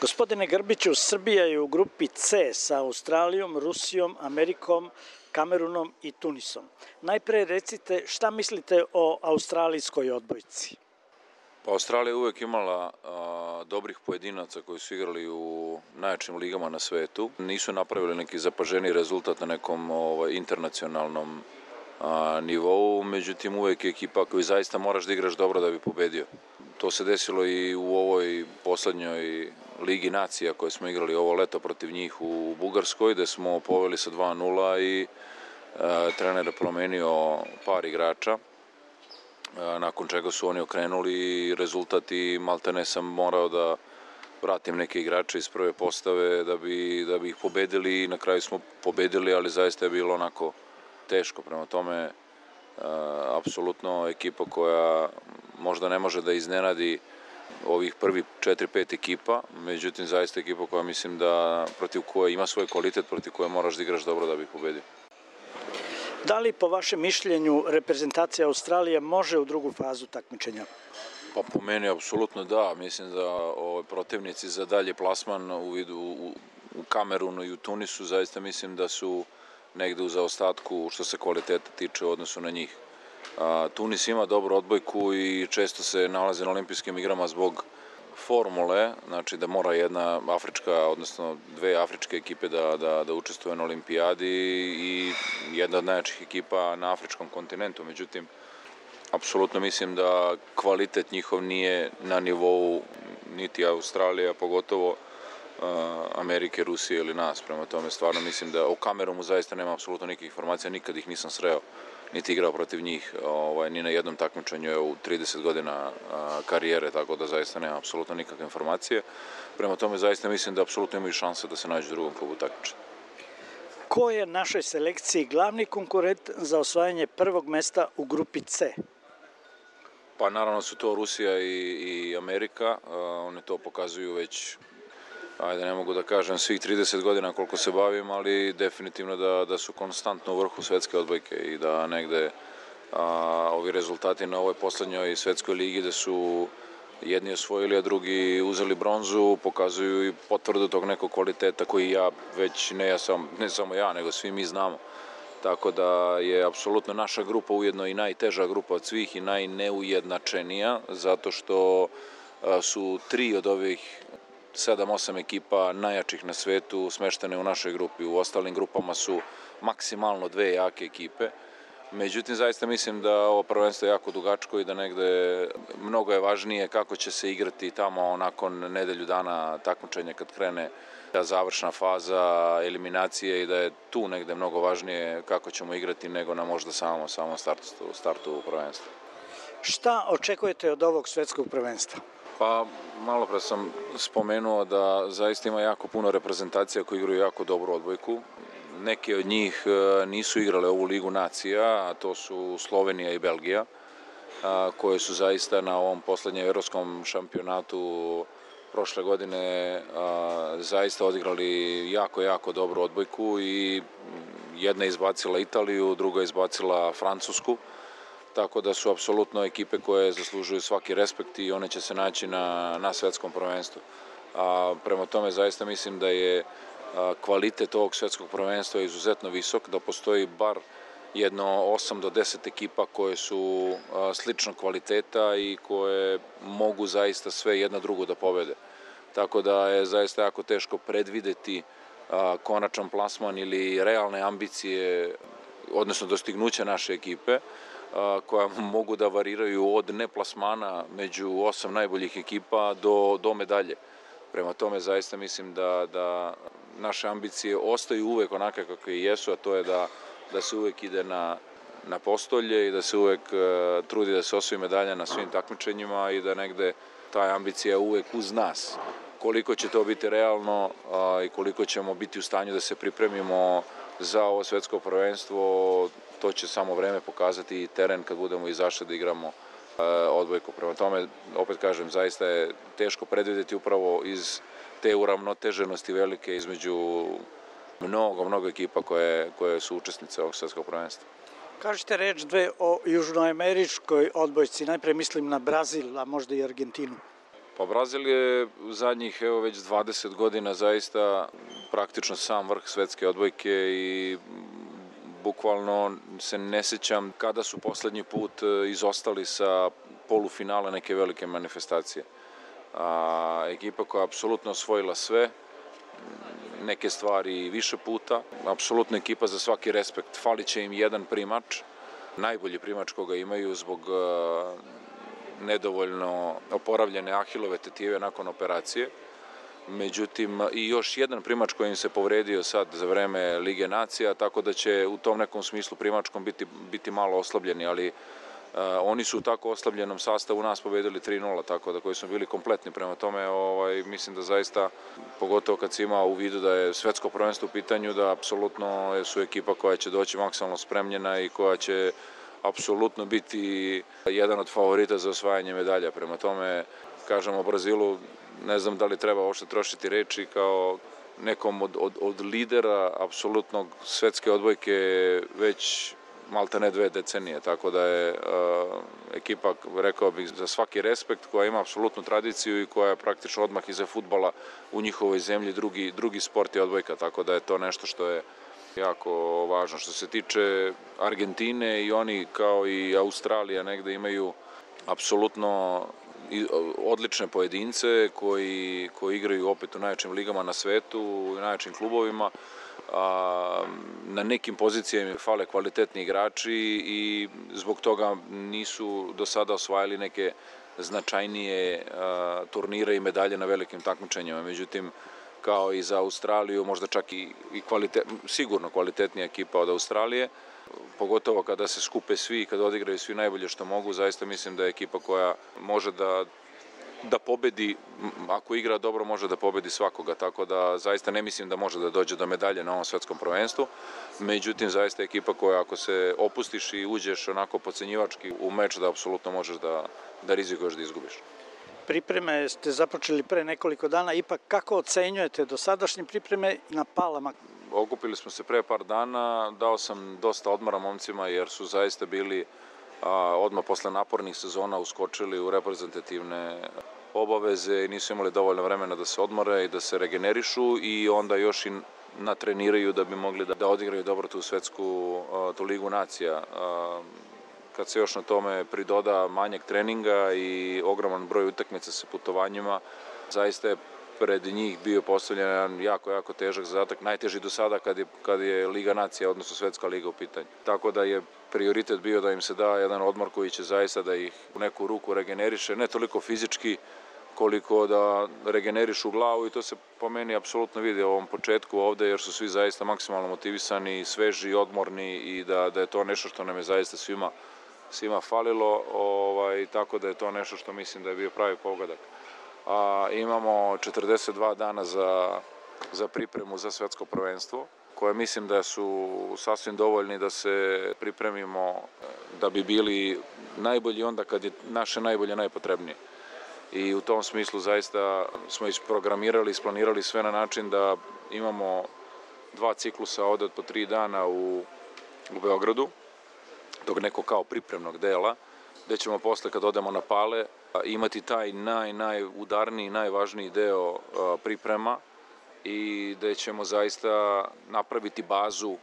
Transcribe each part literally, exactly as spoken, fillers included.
Gospodine Grbiću, Srbija je u grupi C sa Australijom, Rusijom, Amerikom, Kamerunom i Tunisom. Najpre recite šta mislite o australijskoj odbojci? Pa Australija je uvek imala a, dobrih pojedinaca koji su igrali u najjačim ligama na svetu. Nisu napravili neki zapaženi rezultat na nekom ovaj, internacionalnom a, nivou, međutim uvek je ekipa koju zaista moraš da igraš dobro da bi pobedio. To se desilo i u ovoj poslednjoj Ligi nacija koje smo igrali ovo leto protiv njih u Bugarskoj, gde smo poveli sa dva nula i e, trener je promenio par igrača, e, nakon čega su oni okrenuli i rezultat i maltene sam morao da vratim neke igrače iz prve postave da bi, da bi ih pobedili i na kraju smo pobedili, ali zaista je bilo onako teško. Prema tome, e, apsolutno ekipa koja možda ne može da iznenadi ovih prvi četiri pet ekipa, međutim zaista ekipa koja mislim da protiv koje ima svoj kvalitet, protiv koje moraš da igraš dobro da bi pobedio. Da li po vašem mišljenju reprezentacija Australije može u drugu fazu takmičenja? Pa po meni apsolutno da, mislim da ove protivnici za dalje plasman u vidu u, u Kamerunu i u Tunisu zaista mislim da su negde u zaostatku što se kvaliteta tiče u odnosu na njih. Tunis ima dobru odbojku i često se nalaze na olimpijskim igrama zbog formule, znači da mora jedna afrička, odnosno dve afričke ekipe da, da, da učestvuje na olimpijadi i jedna od najjačih ekipa na afričkom kontinentu. Međutim, apsolutno mislim da kvalitet njihov nije na nivou niti Australija, pogotovo Amerike, Rusije ili nas. Prema tome stvarno mislim da o Kamerunu zaista nema apsolutno nikakvih informacija, nikad ih nisam sreo niti igrao protiv njih, ovaj, ni na jednom takmičenju u trideset godina a, karijere, tako da zaista nema apsolutno nikakve informacije. Prema tome zaista mislim da apsolutno imaju šanse da se nađu u drugom klubu takmičenja. Ko je našoj selekciji glavni konkurent za osvajanje prvog mesta u grupi C? Pa naravno su to Rusija i, i Amerika, a, one to pokazuju već, ajde ne mogu da kažem svih trideset godina koliko se bavim, ali definitivno da, da su konstantno u vrhu svetske odbojke i da negde a, ovi rezultati na ovoj poslednjoj svetskoj ligi da su jedni osvojili, a drugi uzeli bronzu, pokazuju i potvrdu tog nekog kvaliteta koji ja već, ne, ja sam, ne samo ja, nego svi mi znamo. Tako da je apsolutno naša grupa ujedno i najteža grupa od svih i najneujednačenija, zato što a, su tri od ovih sedam osam ekipa najjačih na svetu smeštene u našoj grupi. U ostalim grupama su maksimalno dve jake ekipe. Međutim, zaista mislim da ovo prvenstvo je jako dugačko i da negde mnogo je važnije kako će se igrati tamo nakon nedelju dana takmičenja kad krene završna faza eliminacije i da je tu negde mnogo važnije kako ćemo igrati nego na možda samo, samo startu, startu prvenstva. Šta očekujete od ovog svetskog prvenstva? Pa malo pre sam spomenuo da zaista ima jako puno reprezentacija koji igraju jako dobru odbojku. Neke od njih nisu igrale ovu Ligu nacija, a to su Slovenija i Belgija, koje su zaista na ovom poslednjem evropskom šampionatu prošle godine zaista odigrali jako, jako dobru odbojku i jedna je izbacila Italiju, druga je izbacila Francusku. Tako da su apsolutno ekipe koje zaslužuju svaki respekt i one će se naći na, na svetskom prvenstvu. A, prema tome zaista mislim da je a, kvalitet ovog svetskog prvenstva izuzetno visok, da postoji bar jedno osam do deset ekipa koje su a, sličnog kvaliteta i koje mogu zaista sve jedna drugu da pobede. Tako da je zaista jako teško predvideti a, konačan plasman ili realne ambicije, odnosno dostignuća naše ekipe, koja mogu da variraju od neplasmana među osam najboljih ekipa do, do medalje. Prema tome zaista mislim da, da naše ambicije ostaju uvek onake kakve i jesu, a to je da, da se uvek ide na, na postolje i da se uvek uh, trudi da se osvoji medalja na svim takmičenjima i da negde ta ambicija uvek uz nas. Koliko će to biti realno uh, i koliko ćemo biti u stanju da se pripremimo za ovo svetsko prvenstvo, to će samo vreme pokazati i teren kad budemo izašli da igramo e, odbojku. Prema tome, opet kažem, zaista je teško predvideti upravo iz te uravnoteženosti velike između mnogo, mnogo ekipa koje, koje su učesnice ovog svetskog prvenstva. Kažete reč dve o južnoameričkoj odbojci, najpre mislim na Brazil, a možda i Argentinu. Pa Brazil je u zadnjih evo već dvadeset godina zaista praktično sam vrh svetske odbojke i bukvalno se ne sećam kada su poslednji put izostali sa polufinala neke velike manifestacije. A, ekipa koja je apsolutno osvojila sve, neke stvari više puta, apsolutno ekipa za svaki respekt. Falit će im jedan primač, najbolji primač koga imaju zbog uh, nedovoljno oporavljene ahilove tetive nakon operacije. Međutim, i još jedan primač koji im se povredio sad za vreme Lige nacija, tako da će u tom nekom smislu primačkom biti, biti malo oslabljeni, ali Uh, oni su u tako oslabljenom sastavu nas pobedili tri nula, tako da koji smo bili kompletni prema tome, ovaj, mislim da zaista, pogotovo kad se ima u vidu da je svetsko prvenstvo u pitanju, da apsolutno su ekipa koja će doći maksimalno spremljena i koja će apsolutno biti jedan od favorita za osvajanje medalja. Prema tome, kažem o Brazilu, ne znam da li treba uopšte trošiti reči kao nekom od, od, od lidera apsolutnog svetske odbojke već malte ne dve decenije, tako da je uh, ekipa, rekao bih, za svaki respekt, koja ima apsolutnu tradiciju i koja je praktično odmah iza fudbala u njihovoj zemlji drugi, drugi sport je odbojka, tako da je to nešto što je jako važno. Što se tiče Argentine, i oni kao i Australija negde imaju apsolutno odlične pojedince koji, koji igraju opet u najjačim ligama na svetu, u najjačim klubovima. A, na nekim pozicijama fale kvalitetni igrači i zbog toga nisu do sada osvajali neke značajnije a, turnire i medalje na velikim takmičenjima. Međutim, kao i za Australiju, možda čak i, i kvalitet, sigurno kvalitetnija ekipa od Australije, pogotovo kada se skupe svi i kada odigraju svi najbolje što mogu, zaista mislim da je ekipa koja može da da pobedi, ako igra dobro može da pobedi svakoga, tako da zaista ne mislim da može da dođe do medalje na ovom svetskom prvenstvu, međutim zaista je ekipa koja ako se opustiš i uđeš onako podcenjivački u meč da apsolutno možeš da, da rizikuješ da izgubiš. Pripreme ste započeli pre nekoliko dana, ipak kako ocenjujete dosadašnje pripreme na Palama? Okupili smo se pre par dana, dao sam dosta odmora momcima jer su zaista bili a, odmah posle napornih sezona uskočili u reprezentativne obaveze i nisu imali dovoljno vremena da se odmore i da se regenerišu i onda još i natreniraju da bi mogli da, da odigraju dobro tu svetsku a, tu ligu nacija. A, kad se još na tome pridoda manjak treninga i ogroman broj utakmica sa putovanjima, zaista je pred njih bio postavljen jedan jako, jako težak zadatak, najteži do sada kad je, kad je Liga nacija, odnosno Svetska liga u pitanju. Tako da je prioritet bio da im se da jedan odmor koji će zaista da ih u neku ruku regeneriše, ne toliko fizički koliko da regenerišu glavu i to se po meni apsolutno vidi u ovom početku ovde jer su svi zaista maksimalno motivisani, sveži, odmorni i da, da je to nešto što nam je zaista svima, svima falilo, ovaj, tako da je to nešto što mislim da je bio pravi pogodak. A, imamo četrdeset dva dana za, za pripremu za svetsko prvenstvo, koje mislim da su sasvim dovoljni da se pripremimo da bi bili najbolji onda kad je naše najbolje najpotrebnije. I u tom smislu zaista smo isprogramirali, isplanirali sve na način da imamo dva ciklusa ovde od po tri dana u, u Beogradu, tog nekog kao pripremnog dela, gde ćemo posle kad odemo na Pale imati taj naj, najudarniji, najvažniji deo priprema i gde ćemo zaista napraviti bazu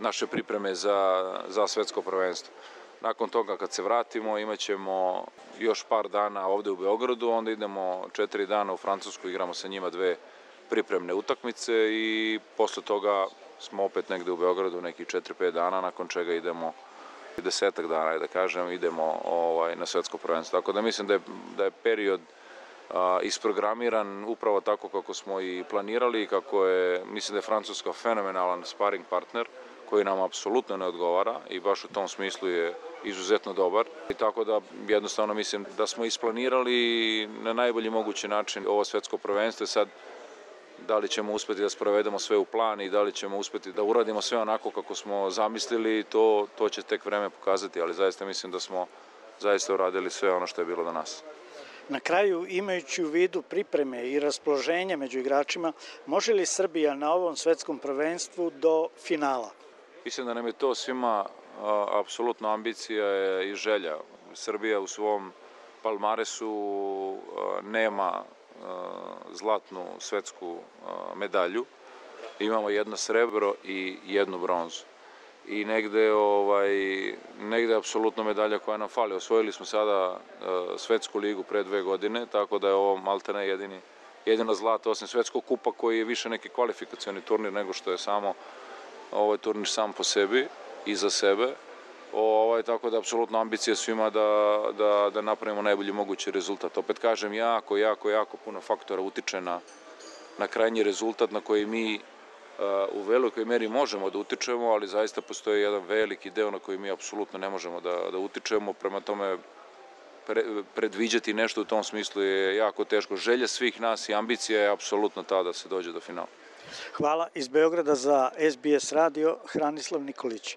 naše pripreme za, za svetsko prvenstvo. Nakon toga kad se vratimo imat ćemo još par dana ovde u Beogradu, onda idemo četiri dana u Francusku, igramo sa njima dve pripremne utakmice i posle toga smo opet negde u Beogradu nekih četiri pet dana, nakon čega idemo desetak dana, da kažem, idemo ovaj, na svetsko prvenstvo. Tako da mislim da je, da je period a, isprogramiran upravo tako kako smo i planirali, kako je, mislim da je Francuska fenomenalan sparing partner koji nam apsolutno ne odgovara i baš u tom smislu je izuzetno dobar. I tako da jednostavno mislim da smo isplanirali na najbolji mogući način ovo svetsko prvenstvo. Sad da li ćemo uspeti da sprovedemo sve u plan i da li ćemo uspeti da uradimo sve onako kako smo zamislili, to, to će tek vreme pokazati, ali zaista mislim da smo zaista uradili sve ono što je bilo do nas. Na kraju, imajući u vidu pripreme i raspoloženje među igračima, može li Srbija na ovom svetskom prvenstvu do finala? Mislim da nam je to svima apsolutno ambicija i želja. Srbija u svom palmaresu nema zlatnu svetsku medalju. Imamo jedno srebro i jednu bronzu. I negde, ovaj, negde je apsolutno medalja koja nam fali. Osvojili smo sada svetsku ligu pre dve godine, tako da je ovo maltene jedini, jedino zlato, osim svetskog kupa koji je više neki kvalifikacioni turnir nego što je samo ovaj turnir sam po sebi i za sebe. Ovaj, tako da je apsolutno ambicija svima da, da, da napravimo najbolji mogući rezultat. Opet kažem, jako, jako, jako puno faktora utiče na, na krajnji rezultat na koji mi u velikoj meri možemo da utičemo, ali zaista postoji jedan veliki deo na koji mi apsolutno ne možemo da, da utičemo. Prema tome, pre, predviđati nešto u tom smislu je jako teško. Želja svih nas i ambicija je apsolutno ta da se dođe do finala. Hvala. Iz Beograda za S B S radio, Hranislav Nikolić.